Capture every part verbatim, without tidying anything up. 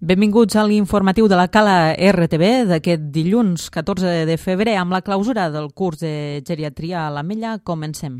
Benvinguts a l'informatiu de la Cala R T V d'aquest dilluns catorze de febrer. Amb la clausura del curs de geriatria a l'Ametlla, comencem.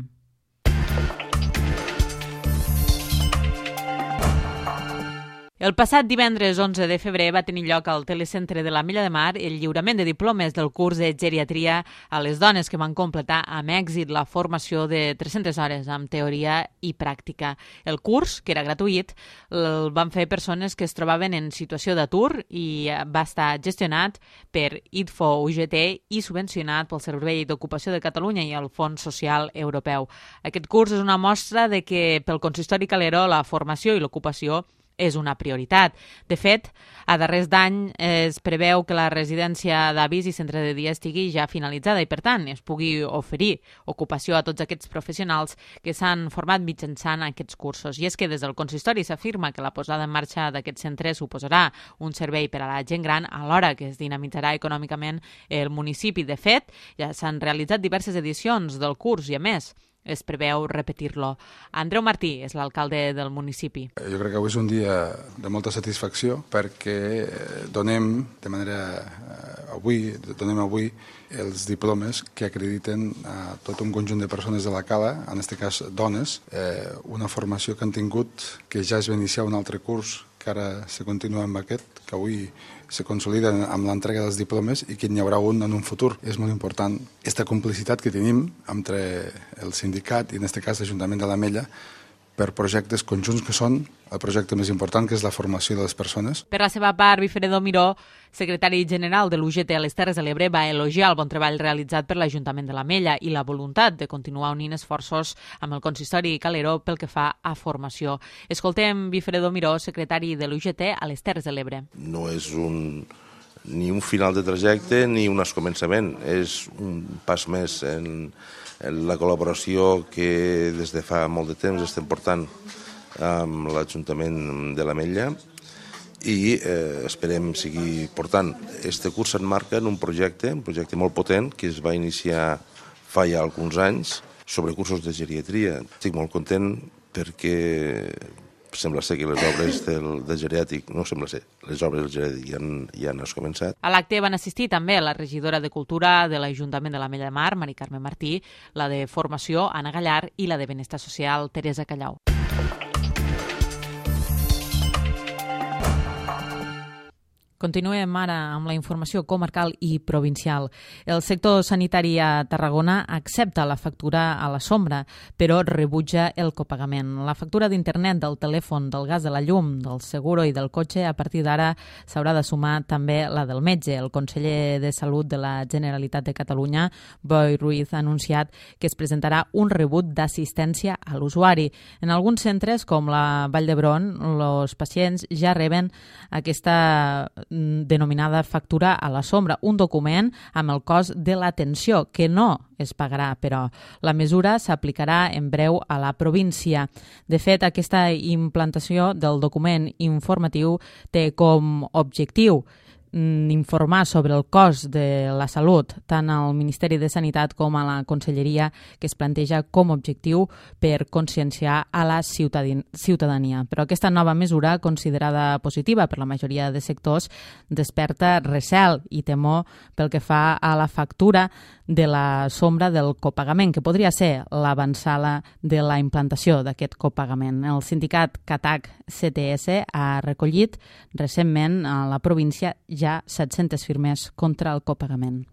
El passat divendres onze de febrer va tenir lloc al Telecentre de l'Ametlla de Mar el lliurament de diplomes del curs de geriatria a les dones que van completar amb èxit la formació de tres-centes hores amb teoria i pràctica. El curs, que era gratuït, el van fer persones que es trobaven en situació d'atur i va estar gestionat per I D F O U G T i subvencionat pel Servei d'Ocupació de Catalunya i el Fons Social Europeu. Aquest curs és una mostra de que pel consistori Calero la formació i l'ocupació és una prioritat. De fet, a darrers d'any es preveu que la residència d'avis i centre de dia estigui ja finalitzada i, per tant, es pugui oferir ocupació a tots aquests professionals que s'han format mitjançant aquests cursos. I és que des del consistori s'afirma que la posada en marxa d'aquest centre suposarà un servei per a la gent gran alhora que es dinamitzarà econòmicament el municipi. De fet, ja s'han realitzat diverses edicions del curs i, a més, es preveu repetir-lo. Andreu Martí és l'alcalde del municipi. Jo crec que avui és un dia de molta satisfacció perquè donem de manera avui donem avui els diplomes que acrediten a tot un conjunt de persones de la Cala, en aquest cas dones, eh, una formació que han tingut, que ja es va iniciar un altre curs, que ara se continua amb aquest, que avui se consolida amb l'entrega dels diplomes i que n'hi haurà un en un futur. És molt important aquesta complicitat que tenim entre el sindicat i, en aquest cas, l'Ajuntament de l'Ametlla, per projectes conjunts que són el projecte més important, que és la formació de les persones. Per la seva part, Wifredo Miró, secretari general de l'U G T a les Terres de l'Ebre, va elogiar el bon treball realitzat per l'Ajuntament de l'Ametlla i la voluntat de continuar unint esforços amb el consistori Calero pel que fa a formació. Escoltem Wifredo Miró, secretari de l'U G T a les Terres de l'Ebre. No és un, ni un final de trajecte ni un començament, és un pas més en la col·laboració que des de fa molt de temps estem portant amb l'Ajuntament de l'Ametlla i eh, esperem seguir portant. Este curs s'emmarca en un projecte, un projecte molt potent que es va iniciar fa ja alguns anys sobre cursos de geriatria. Estic molt content perquè sembla ser que les obres del, del geriàtric, no sembla ser, les obres del geriàtric ja han, ja han començat. A l'acte van assistir també la regidora de Cultura de l'Ajuntament de l'Ametlla de Mar, Mari Carme Martí, la de Formació, Anna Gallar, i la de Benestar Social, Teresa Callau. Continuem ara amb la informació comarcal i provincial. El sector sanitari a Tarragona accepta la factura a la sombra, però rebutja el copagament. La factura d'internet, del telèfon, del gas, de la llum, del seguro i del cotxe, a partir d'ara s'haurà de sumar també la del metge. El conseller de Salut de la Generalitat de Catalunya, Boi Ruiz, ha anunciat que es presentarà un rebut d'assistència a l'usuari. En alguns centres, com la Vall d'Hebron, els pacients ja reben aquesta denominada factura a la sombra, un document amb el cost de l'atenció, que no es pagarà, però la mesura s'aplicarà en breu a la província. De fet, aquesta implantació del document informatiu té com objectiu informar sobre el cost de la salut tant al Ministeri de Sanitat com a la Conselleria, que es planteja com a objectiu per conscienciar a la ciutadania. Però aquesta nova mesura, considerada positiva per la majoria de sectors, desperta recel i temor pel que fa a la factura de la sombra del copagament, que podria ser l'avançada de la implantació d'aquest copagament. El sindicat CATAC C T S ha recollit recentment a la província ja set-centes firmes contra el copagament.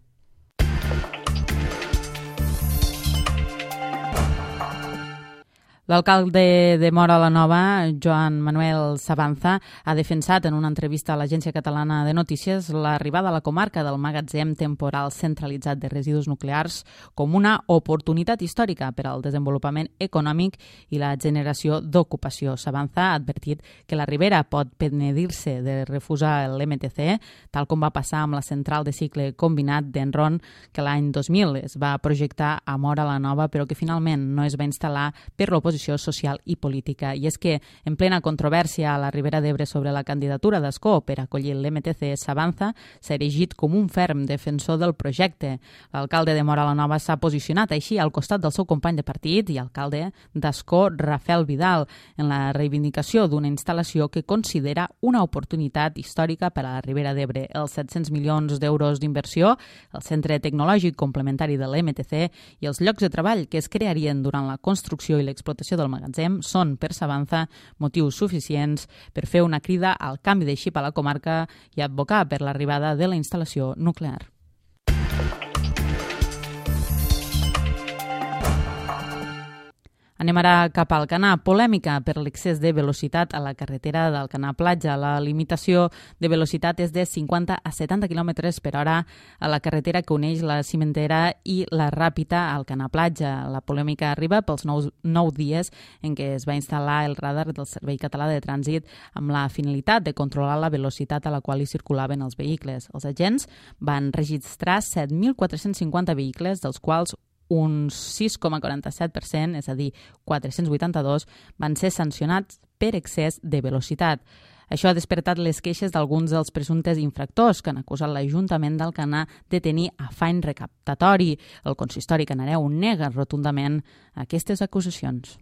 L'alcalde de Móra la Nova, Joan Manuel Sabanza, ha defensat en una entrevista a l'Agència Catalana de Notícies l'arribada a la comarca del magatzem temporal centralitzat de residus nuclears com una oportunitat històrica per al desenvolupament econòmic i la generació d'ocupació. Sabanza ha advertit que la Ribera pot penedir-se de refusar l'M T C, tal com va passar amb la central de cicle combinat d'Enron, que l'any dos mil es va projectar a Móra la Nova, però que finalment no es va instal·lar per l'oposició posició social i política. I és que, en plena controvèrsia a la Ribera d'Ebre sobre la candidatura d'Ascó per acollir l'M T C Sabanza, s'ha erigit com un ferm defensor del projecte. L'alcalde de Móra la Nova s'ha posicionat així al costat del seu company de partit i alcalde d'Ascó, Rafael Vidal, en la reivindicació d'una instal·lació que considera una oportunitat històrica per a la Ribera d'Ebre. Els set-cents milions d'euros d'inversió, el centre tecnològic complementari de l'M T C i els llocs de treball que es crearien durant la construcció i l'explotació del magatzem són, per Sabanza, motius suficients per fer una crida al canvi de xip a la comarca i advocar per l'arribada de la instal·lació nuclear. Anem ara cap al Alcanar. Polèmica per l'excés de velocitat a la carretera d'Alcanar Platja. La limitació de velocitat és de cinquanta a setanta quilòmetres per hora a la carretera que uneix la Cimentera i la Ràpita a Alcanar Platja. La polèmica arriba pels nou, nou dies en què es va instal·lar el radar del Servei Català de Trànsit amb la finalitat de controlar la velocitat a la qual hi circulaven els vehicles. Els agents van registrar set mil quatre-cents cinquanta vehicles, dels quals un sis coma quaranta-set per cent, és a dir, quatre-cents vuitanta-dos, van ser sancionats per excés de velocitat. Això ha despertat les queixes d'alguns dels presumptes infractors que han acusat l'Ajuntament d'Alcanar de tenir afany recaptatori. El consistori canareu nega rotundament aquestes acusacions.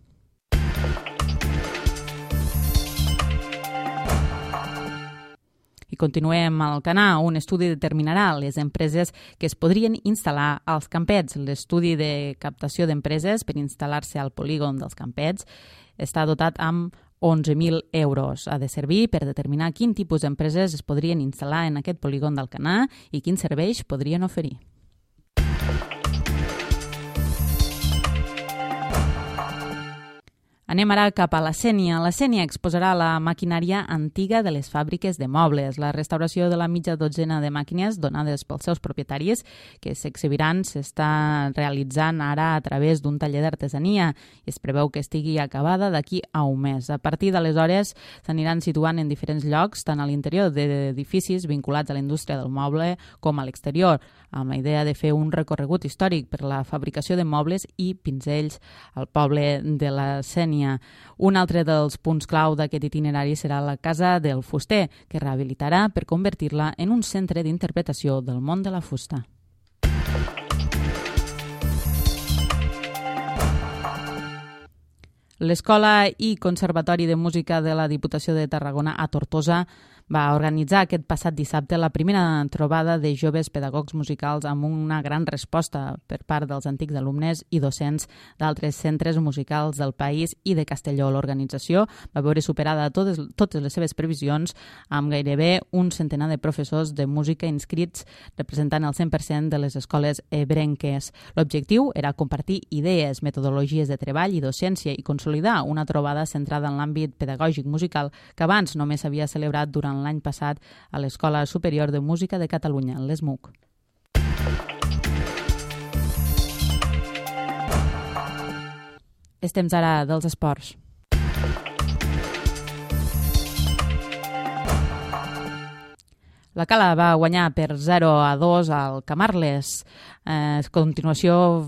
I continuem al Alcanar. Un estudi determinarà les empreses que es podrien instal·lar als campets. L'estudi de captació d'empreses per instal·lar-se al polígon dels campets està dotat amb onze mil euros. Ha de servir per determinar quin tipus d'empreses es podrien instal·lar en aquest polígon d'Alcanar i quins serveis podrien oferir. Anem ara cap a la Sénia. La Sénia exposarà la maquinària antiga de les fàbriques de mobles. La restauració de la mitja dotzena de màquines donades pels seus propietaris que s'exhibiran s'està realitzant ara a través d'un taller d'artesania i es preveu que estigui acabada d'aquí a un mes. A partir d'aleshores s'aniran situant en diferents llocs, tant a l'interior d'edificis vinculats a la indústria del moble com a l'exterior, amb la idea de fer un recorregut històric per la fabricació de mobles i pinzells al poble de la Sénia. Un altre dels punts clau d'aquest itinerari serà la Casa del Fuster, que rehabilitarà per convertir-la en un centre d'interpretació del món de la fusta. L'Escola i Conservatori de Música de la Diputació de Tarragona a Tortosa va organitzar aquest passat dissabte la primera trobada de joves pedagogs musicals amb una gran resposta per part dels antics alumnes i docents d'altres centres musicals del país i de Castelló. L'organització va veure superada totes, totes les seves previsions amb gairebé un centenar de professors de música inscrits representant el cent per cent de les escoles ebrenques. L'objectiu era compartir idees, metodologies de treball i docència i consolidar una trobada centrada en l'àmbit pedagògic musical que abans només s'havia celebrat durant l'any passat a l'Escola Superior de Música de Catalunya, l'E S M U C. És temps ara dels esports. La Cala va guanyar per zero a dos al Camarles. Eh, a continuació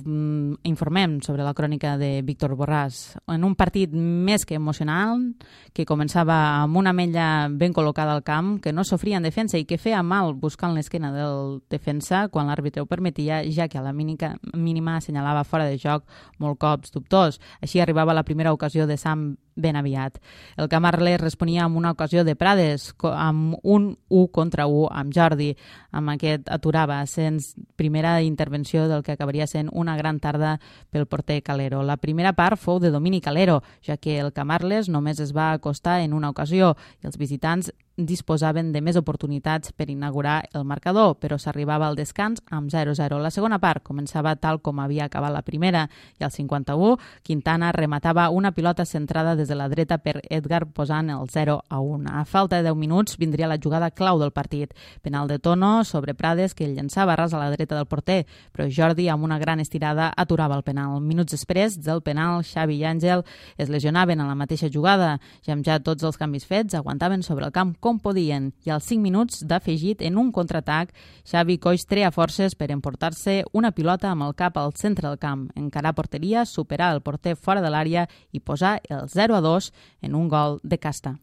informem sobre la crònica de Víctor Borràs. En un partit més que emocional, que començava amb una ametlla ben col·locada al camp, que no sofria en defensa i que feia mal buscant l'esquena del defensa quan l'àrbitre ho permetia, ja que a la mínima, mínima assenyalava fora de joc molt cops dubtors. Així arribava la primera ocasió de Sam ben aviat. El Camarles responia amb una ocasió de Prades, amb un u contra u amb Jordi. Amb aquest aturava, sens primera intervenció del que acabaria sent una gran tarda pel porter Calero. La primera part fou de domini Calero, ja que el Camarles només es va acostar en una ocasió i els visitants disposaven de més oportunitats per inaugurar el marcador, però s'arribava al descans amb zero a zero. La segona part començava tal com havia acabat la primera i al cinquanta-u Quintana rematava una pilota centrada des de la dreta per Edgar posant el zero a un. A falta de deu minuts vindria la jugada clau del partit. Penal de Tono sobre Prades que el llançava ras a la dreta del porter, però Jordi amb una gran estirada aturava el penal. Minuts després del penal, Xavi i Àngel es lesionaven a la mateixa jugada i amb ja tots els canvis fets aguantaven sobre el camp com podien i als cinc minuts d'afegit en un contraatac, Xavi Coix treia forces per emportar-se una pilota amb el cap al centre del camp, encarar porteria, superar el porter fora de l'àrea i posar el zero a dos en un gol de casta.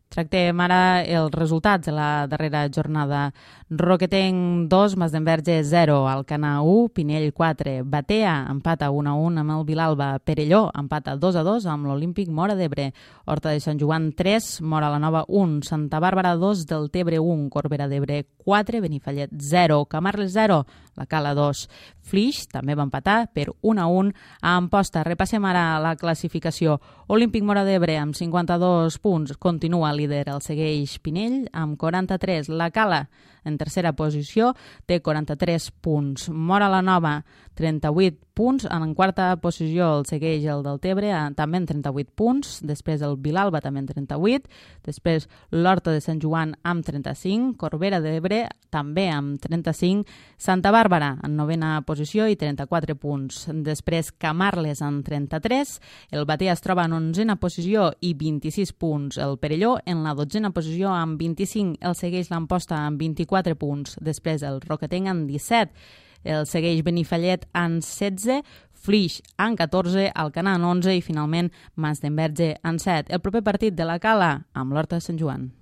Tractem ara els resultats de la darrera jornada. Roquetenc dos, Masdenverge zero, Alcanar u, Pinell quatre, Batea empata un a un amb el Vilalba, Perelló empata dos a dos amb l'Olímpic Móra d'Ebre, Horta de Sant Joan tres, Móra la Nova un, Santa Bàrbara dos, Deltebre un, Corbera d'Ebre quatre, Benifallet zero, Camarles zero, la Cala dos. Flix també va empatar per un a un a Amposta. Repassem ara la classificació. Olímpic Móra d'Ebre amb cinquanta-dos punts continua líder, el segueix Pinell amb quaranta-tres. La Cala en tercera posició té quaranta-tres punts. Móra la Nova, trenta-vuit punts. En quarta posició el segueix el Deltebre, també amb trenta-vuit punts. Després el Vilalba també amb trenta-vuit. Després l'Horta de Sant Joan amb trenta-cinc. Corbera d'Ebre també amb trenta-cinc. Santa Bàrbara en novena posició i trenta-quatre punts. Després Camarles amb trenta-tres. El Batea es troba en onzena posició i vint-i-sis punts. El Perelló en la dotzena posició amb vint-i-cinc. El segueix l'Amposta amb vint-i-quatre punts. Després el Roquetenc amb disset. El segueix Benifallet amb setze, Flix amb catorze, Alcanar amb onze i finalment Masdenverge amb set. El proper partit de la Cala amb l'Horta de Sant Joan.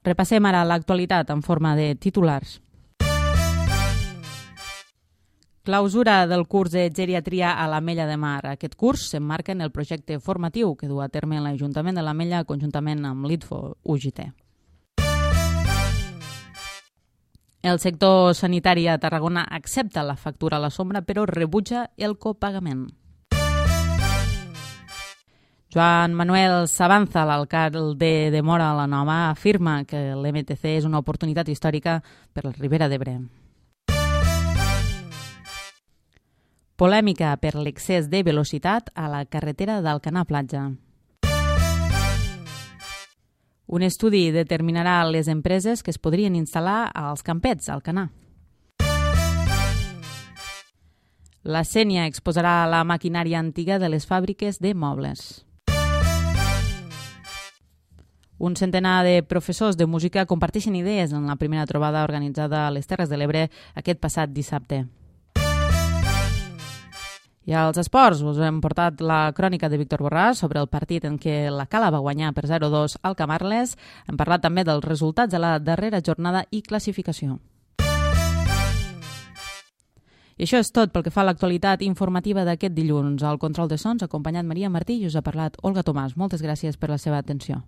Repassem ara l'actualitat en forma de titulars. Clausura del curs de geriatria a l'Ametlla de Mar. Aquest curs s'emmarca en el projecte formatiu que du a terme l'Ajuntament de l'Ametlla conjuntament amb l'I T F O U G T. El sector sanitari a Tarragona accepta la factura a la sombra però rebutja el copagament. Joan Manuel Sabanza, l'alcalde de Móra la Nova, afirma que l'M T C és una oportunitat històrica per la Ribera d'Ebre. Polèmica per l'excés de velocitat a la carretera d'Alcanar Platja. Un estudi determinarà les empreses que es podrien instal·lar als campets, a Alcanar. La Sénia exposarà la maquinària antiga de les fàbriques de mobles. Un centenar de professors de música comparteixen idees en la primera trobada organitzada a les Terres de l'Ebre aquest passat dissabte. I als esports us hem portat la crònica de Víctor Borràs sobre el partit en què la Cala va guanyar per zero a dos al Camarles. Hem parlat també dels resultats de la darrera jornada i classificació. I això és tot pel que fa a l'actualitat informativa d'aquest dilluns. Al control de sons ha acompanyat Maria Martí i us ha parlat Olga Tomàs. Moltes gràcies per la seva atenció.